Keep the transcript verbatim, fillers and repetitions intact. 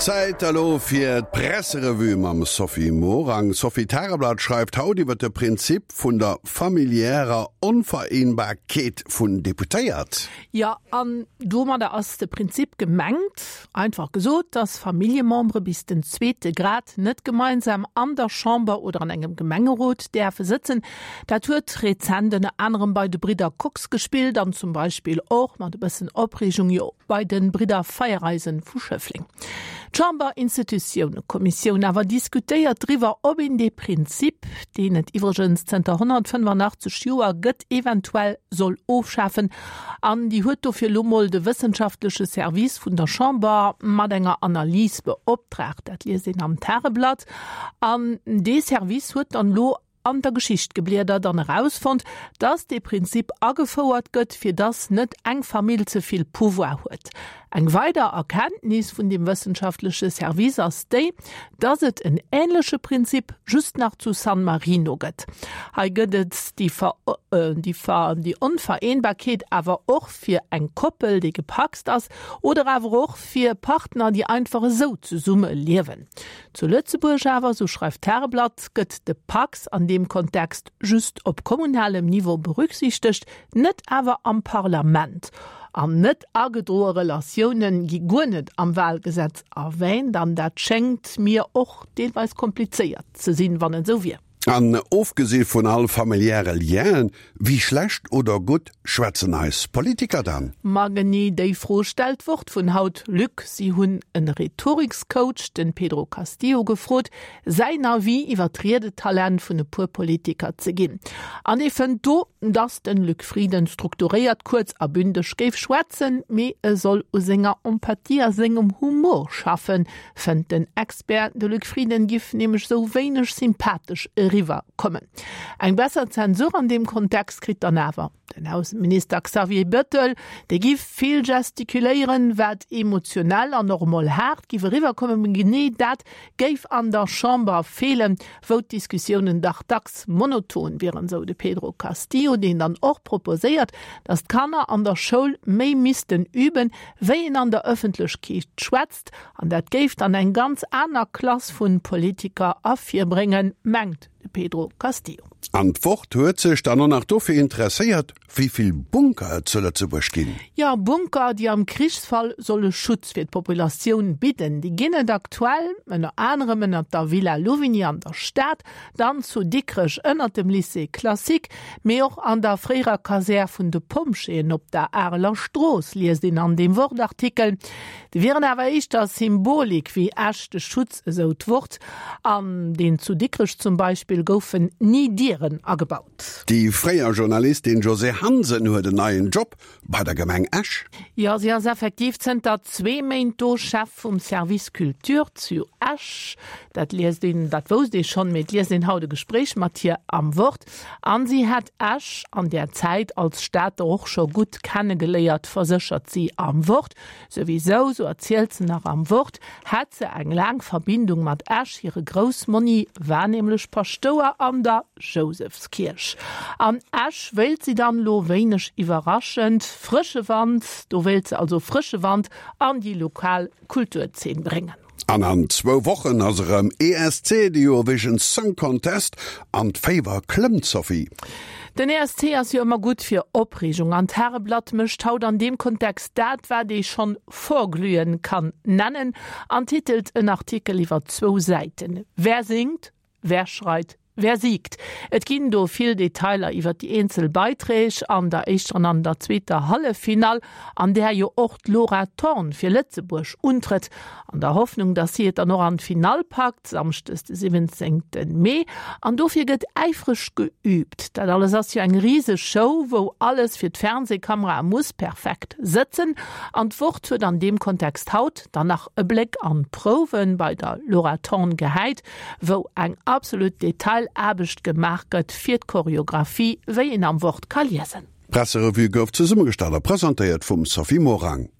Zäit elo fir d'Presserevue mam Sophie Morang. Sophie, d'Tageblatt schreift haut iwwer de Prinzip vun der familiärer Onvereenbarkeet vun Deputéiert. Jo, an domadder ass de Prinzip gemengt, einfach gesot, dass Familljemembere bis den zweete Grad net gemeinsam an der Chamber oder an engem Gemengerot däerfe sëtzen. Dat huet rezent ënner anerem bei de Bridder Kox gespillt an zum Beispill och mat e bëssen Opreegung jo bei de Bridder Feiereisen vu Schëffleng. D'Chamberinstitutiounekommissioun awer diskutéiert driwwer, ob een dee Prinzip, deen et iwwregens zënter honnertfënnefanachtzeeg Joer gëtt, eventuell soll ofschafen. An déi huet dofir elo mol de wëssenschaftleche Service vun der Chamber mat enger Analys beoptraagt. Dat liest een am Tageblatt. An dee Service huet dann elo an der Geschicht gebliedert an erausfonnt, dass dee Prinzip agefouert gëtt, fir dass net eng Famill ze vill Pouvoir huet. Eng weider Erkenntnis vun deem wëssenschaftleche Service ass déi, dass et en änleche Prinzip just nach zu San Marino gëtt. Hei gëtt et déi Ver déi Ver déi Onvereenbarkeet awer och fir eng Koppel, déi gepacst ass, oder awer och fir Partner, déi einfach esou zesumme liewen. Zu Lëtzebuerg awer, sou schreift d'Tageblatt, gëtt de Pacs an deem Kontext just op kommunalem Niveau berücksichtegt, net awer am Parlament. An net agedroe Relatioune gi guer net am Wahlgesetz erwähnt, an dat schéngt mir och deelweis komplizéiert ze sinn, wann et esou wier. An ofgesi vun all familiäre Lienen, wéi schlecht oder gutt schwätzen eis Politiker dann? Ma genee déi Fro stellt d'Wort vun haut, Luc. Si hunn e Rhetorikscoach, den Pedro Castillo, gefrot, säin Avis iwwer d'Riedetalent vun e puer Politiker ze ginn. An dee fënnt do, dass den Luc Frieden strukturéiert, kuerz a bündeg géif schwätzen, mee e soll u senger Empathie a sengem Humor schaffen, fënnt den Expert. De Luc Frieden giff nämlech sou wéineg sympathesch eriwwer kommen. Eng besser Zensur an deem Kontext kritt dann awer den Ausseminister Xavier Bettel, dee giff vill gestikuléieren, wat emotionell an och emol haart giff eriwwer kommen, mee genee dat géif an der Chamber feelen, wou d'Diskussiounen dach dacks monoton wieren, sou de Pedro Castillo, deen dann och proposéiert, datt d'Kanner an der Schoul méi missten üben, wéi een an der Ëffentlechkeet schwätzt, an dat géif dann eng ganz aner Klass vu Politiker ervirbréngen, mengt de Pedro Castillo. An d'Wort huet sech dann och nach dofir interesséiert, wéi vill Bunker et zu Lëtzebuerg ginn. Jo, Bunker, déi am Krichsfall solle Schutz fir d'Populatioun bidden, déi ginn et aktuell ënner anerem ënnert der Villa Louvigny an der Stad, dann zu Dikrech ënnert dem Lycée classique, mee och an der fréierer Kasär vun de Pompjeeën op der Areler Strooss, liest een an deem Wort-Artikel. Déi wieren awer éischter Symbolik wéi echte Schutz, esou d'Wort. An deen zu Dikrech zum Beispill goufen ni Dieren agebaut. Déi fréier Journalistin Josée Hansen huet en neien Job bei der Gemeng Esch. Jo, si ass effektiv zënter zwee Méint do Chef vum Service Culture zu Esch. Dat liest een, dat wousst ee schonn, mee et liest een haut e Gespréich mat hir am Wort. An si hätt Esch an där Zäit als Stater och scho gutt kennegeléiert, verséchert si am Wort. Souwisou, sou erzielt se nach am Wort, hätt se eng laang Verbindung mat Esch, hire Groussmonni war nämlech Paschtouer an der Jousefskierch. An Esch wéilt si dann elo, wéineg iwwerraschend, frësche Wand, do wéilt se also frësche Wand an déi lokal Kulturzeen bréngen. An an zwou Wochen ass erëm E S C, de Eurovision Song Contest, an d'Féiwer klëmmt, Sophie. Den E S C ass jo ëmmer gutt fir Opreegung an d'Tageblatt mécht haut an deem Kontext dat, wat ee schonn Vorglühen kann nennen an titelt en Artikel iwwer zwou Säiten, Wer singt, wer schreit, wer siegt? Et ginn do vill Detailer iwwer déi eenzel Beiträg an der éischter an an der zweeter Halleffinall, an där jo och d'Laura Thorn fir Lëtzebuerg untrëtt, an der Hoffnung, datt si et dann och an d'Finall packt, samschdes de siwwenzéngte Mee. An dofir gëtt äifreg geüübt. Dat alles ass jo eng riseg Show, wou alles fir d'Fernsehkamerae muss perfekt sëtzen. An d'Wort huet an deem Kontext haut dann nach e Bléck an d'Prouwe bei der Laura Thorn gehäit, wou eng absolut Detailaarbecht gemaach gëtt fir d'Choreographie, wéi een am Wort ka liesen. D'Presserevue gouf zesummegestallt a presentéiert vum Sophie Morang.